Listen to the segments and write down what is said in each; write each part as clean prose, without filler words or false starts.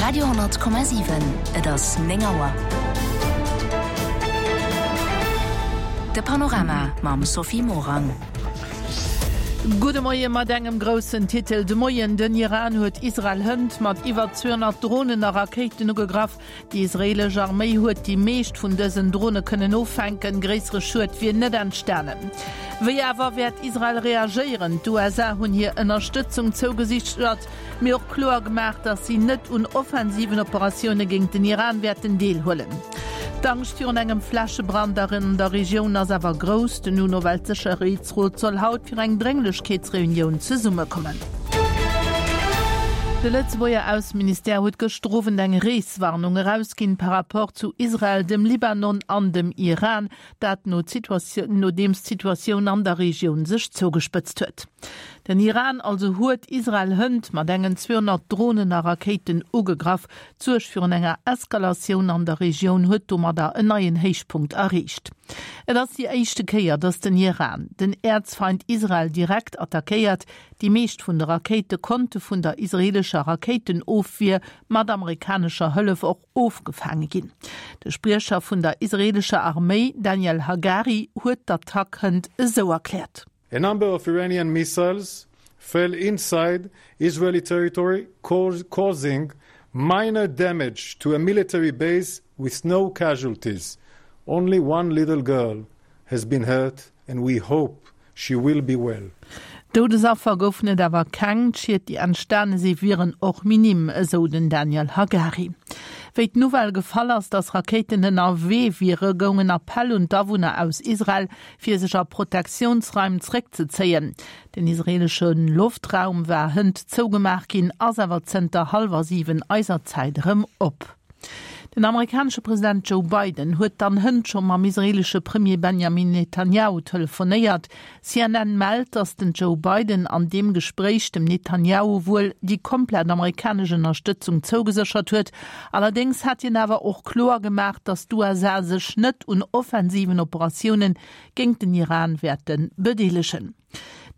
Radio 10,7 Et ass 9 Auer. De Panorama mam Sophie Morang. Gudde Moie mat engem groussen Titel de Moien. Den Iran huet Israel hënt mat iwwer 200 Dronen a Rakéiten ugegraff. Déi israeelesch Arméi huet déi meescht vun dësen Drone kënnen offänken, gréissere Schued wier net entstanen. Wéi awer wäert Israel reagéieren? D'USA hunn hir Ënnerstëtzung zougesichert, mee och kloer gemaach, datt si net un offensiven Operatioune géint den Iran wäerten deelhuelen. D'Angscht virun engem Flächebrand an der Regioun ass awer grouss. Den UNO-Weltsécherheetsrot soll haut fir eng Drénglechkeetsreunioun zesummekommen. De Lëtzebuerger Ausseministère huet gëschter Owend eng Reeswarnung erausginn par rapport zu Israel, dem Libanon an dem Iran. Dat nodeems d'Situatioun an der Regioun sech zougespëtzt huet. Den Iran also huet Israel hënt mat engen 200 Dronen a Rakéiten ugegraff. D'Suerg virun enger Eskalatioun an der Regioun huet domadder en neien Héichpunkt erreecht. Et ass déi éischte Kéier, datt den Iran den Äerzfeind Israel direkt attackéiert. Déi meescht vun de Rakéite konnte vun der israeelescher Rakéitenofwier mat amerikanescher Hëllef och ofgefaange ginn. De Spriecher vun der israeelescher Arméi Daniel Hagari huet d'Attack hënt esou erkläert. A number of Iranian missiles fell inside Israeli territory causing minor damage to a military base with no casualties. Only one little girl has been hurt and we hope she will be well. Doudesaffer goufen et awer keng, d'Schied déi entstane si wieren och minim, esou den Daniel Hagari. Wéi d'Nouvelle gefall ass, datt Rakéiten ënnerwee wiere, goung en Appell un d'Awunner aus Israel, fir sech a Protektiounsraim zréckzezéien. Den israeelesche Loftraum war hënt zougemaach ginn, ass awer zënter hallwer 7 eiser Zäit erëm op. Den amerikanesche President Joe Biden huet dann hënt scho mam israeelesche Premier Benjamin Netanjahu telefonéiert. CNN mellt, datt den Joe Biden an deem Gespréich dem Netanjahu wuel déi komplett amerikanesch Ënnerstëtzung zougeséchert huet. Allerdéngs hätt hien awer och kloer gemaach, datt d'USA sech net un offensiven Operatioune géint den Iran wäerte bedeelegen.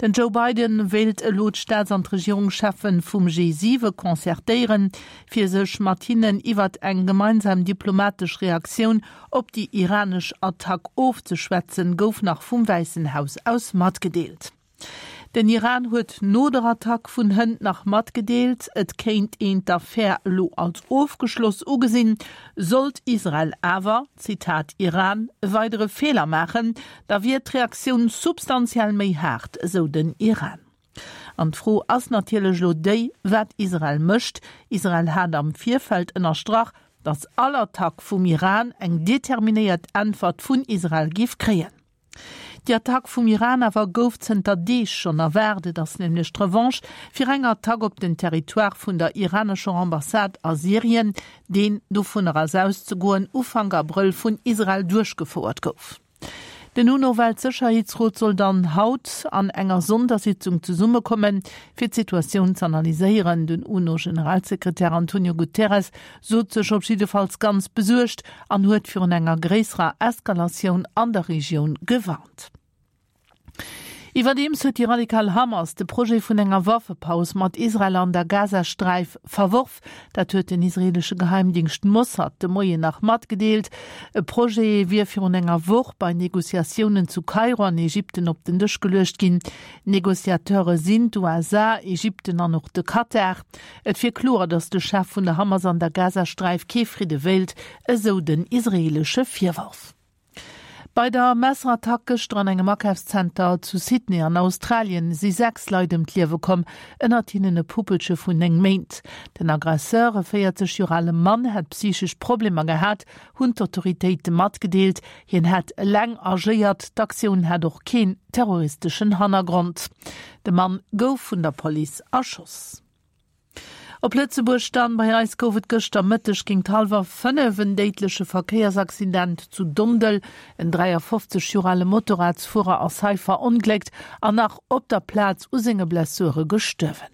Den Joe Biden wéilt elo d'Staats an d'Regierungscheffe vum G7 concertéieren, fir sech mat hinnen iwwert eng gemeinsam diplomatesch Reaktioun op déi iranesch Attack ofzeschwätzen, gouf nach vum Wäissen Haus aus matgedeelt. Den Iran huet no der Attack vun hënt nach matgedeelt, et kéint een d'Affär elo als ofgeschloss ugesinn. Sollt Israel awer, Zitat Iran, e weidere Feeler maachen, da wier d'Reaktioun substantiell méi haart, esou den Iran. An d'Fro ass natierlech elo déi, wat Israel mécht. Israel hat am Virfeld ënnerstrach, datt all Attack vum Iran eng determinéiert Äntwert vun Israel géif kréien. Déi Attack vum Iran awer gouf zënter Deeg schonn erwaart. Et ass nämlech d'Revanche fir eng Attack op den Territoire vun der iranescher Ambassade a Syrien, deen, dovunner ass auszegoen, Ufank Abrëll vun Israel duerchgefouert gouf. Den UNO-Weltsécherheetsrot soll dann haut an enger Sondersitzung zesummekommen, fir d'Situatioun z'analyséieren. Den UNO-Generalsekretär Antonio Guterres sot sech op jiddefalls ganz besuergt an huet virun enger gréisserer Eskalatioun an der Regioun gewarnt. Iwwerdeems huet déi radikal Hamas de Projet vun enger Waffepaus mat Israel an der Gazasträif verworf. Dat huet den israeelesche Geheimdingscht Mossad de Moien nach matgedeelt. E Projet wier virun enger Woch bei Negociatiounen zu Kairo an Ägypten op den Dësch geluecht ginn. Negociateure sinn d'USA, Ägypten an och de Katar. Et wier kloer, datt de Chef vun der Hamas an der Gazasträif kee Fridde wéilt, esou den israeelesche Virworf. Bei der Messerattack gëschter an engem Akafszenter zu Sydney an Australien si 6 Leit ëm d'Liewe komm, ënnert hinnen e Puppelche vun 9 Méint. Den Aggresseur, e 40 Joer ale Mann, hätt psychesch Problemer gehat, hunn d'Autoritéite matgedeelt. Hien hätt eleng agéiert, d'Aktioun hätt och keen terroristeschen Hannergrond. De Mann gouf vun der Police erschoss. Op Lëtzebuerg dann, Bei eis gouf et gëschter Mëtteg géint hallwer 5 en déidleche Verkéiersaccident zu Dondel. En 53 Joer ale Motorradsfuerer ass hei verongléckt an nach op der Plaz u senge Blessure gestuerwen.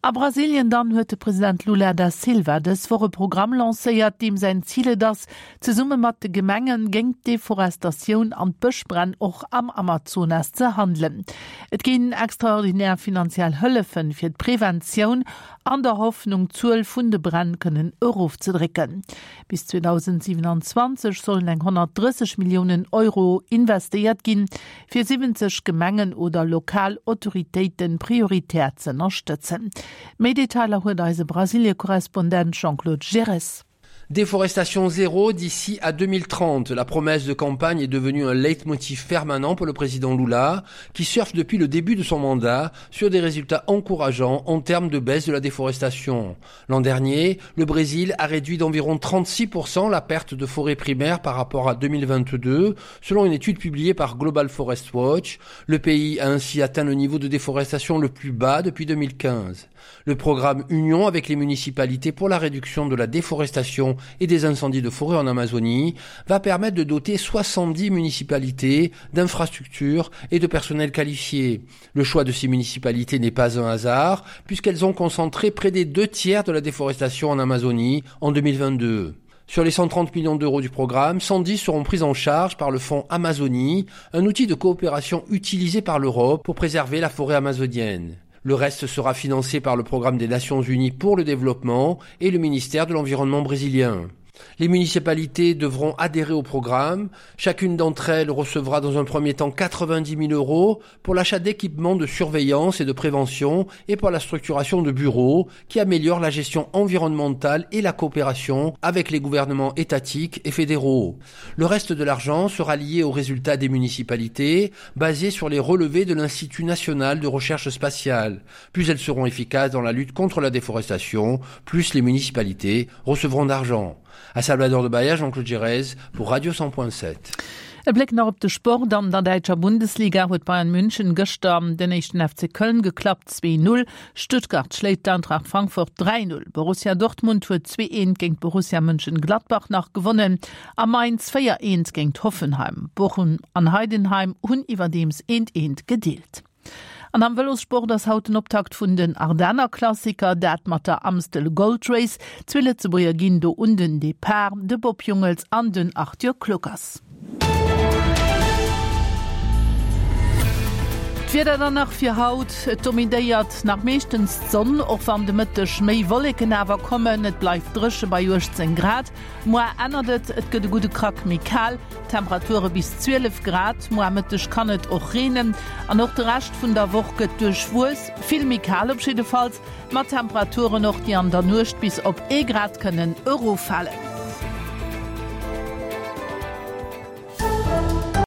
A Brasilien dann huet de President Lula da Silva dës Woch e Programm lancéiert, deem säin Zil et ass, zesumme mat de Gemengen géint d'Deforestatioun an d'Bëschbränn och am Amazonas ze handelen. Et ginn extraordinär finanziell Hëllefen fir d'Preventioun an der Hoffnung d'Zuel vun de Bränn kënnen erofzedrécken. Bis 2027 sollen eng 130 Milliounen Euro investéiert ginn, fir 70 Gemengen oder lokal Autoritéite prioritär z'ënnerstëtzen. Méi Detailer huet eise Brasilie-Korrespondent Jean-Claude Girres. Déforestation zéro d'ici à 2030. La promesse de campagne est devenue un leitmotiv permanent pour le président Lula, qui surfe depuis le début de son mandat sur des résultats encourageants en termes de baisse de la déforestation. L'an dernier, le Brésil a réduit d'environ 36% la perte de forêt primaire par rapport à 2022, selon une étude publiée par Global Forest Watch. Le pays a ainsi atteint le niveau de déforestation le plus bas depuis 2015. Le programme Union avec les municipalités pour la réduction de la déforestation et des incendies de forêt en Amazonie va permettre de doter 70 municipalités d'infrastructures et de personnel qualifié. Le choix de ces municipalités n'est pas un hasard puisqu'elles ont concentré près des deux tiers de la déforestation en Amazonie en 2022. Sur les 130 millions d'euros du programme, 110 seront pris en charge par le fonds Amazonie, un outil de coopération utilisé par l'Europe pour préserver la forêt amazonienne. Le reste sera financé par le programme des Nations Unies pour le développement et le ministère de l'environnement brésilien. Les municipalités devront adhérer au programme. Chacune d'entre elles recevra dans un premier temps 90 000 euros pour l'achat d'équipements de surveillance et de prévention et pour la structuration de bureaux qui améliorent la gestion environnementale et la coopération avec les gouvernements étatiques et fédéraux. Le reste de l'argent sera lié aux résultats des municipalités basés sur les relevés de l'Institut national de recherche spatiale. Plus elles seront efficaces dans la lutte contre la déforestation, plus les municipalités recevront d'argent. À Salvador de Bahia, Jean-Claude Gérez pour Radio 100.7. E Bléck nach op de Sport, An der däitscher Bundesliga huet Bayern München gëschter den éischten FC Köln geklappt, 2, 0. Stuttgart schléit d'Eintracht Frankfurt 3, 0. Borussia Dortmund huet 2, 1 géint Borussia Mönchengladbach nach gewonnen a Mainz 4, 1 géint Hoffenheim. Bochum an Heidenheim hunn iwwerdeems 1, 1 gedeelt. An am Vëlossport ass haut den Optakt vun den Ardennerklassiker, dat mat der Amstel Gold Race. Zwee Lëtzebuerger ginn do un den Depart, de Bob Jungels an den Arthur Kluckers. D'Wieder dann nach fir haut, Et dominéiert nach meeschtens d'Sonn, och wann de Mëtteg méi Wolleken awer kommen. Et bleift dréche bei 18 Grad. Moar ännert et, et gëtt e gudde Krack méi kal. Temperature bis 12 Grad. Muer Mëtteg kann et och reenen an och de Rescht vun der Woch gëtt duerchwuess, vill méi kal op jiddefalls, mat Temperaturen och déi an der Nuecht bis op ee Grad kënnen eroffalen.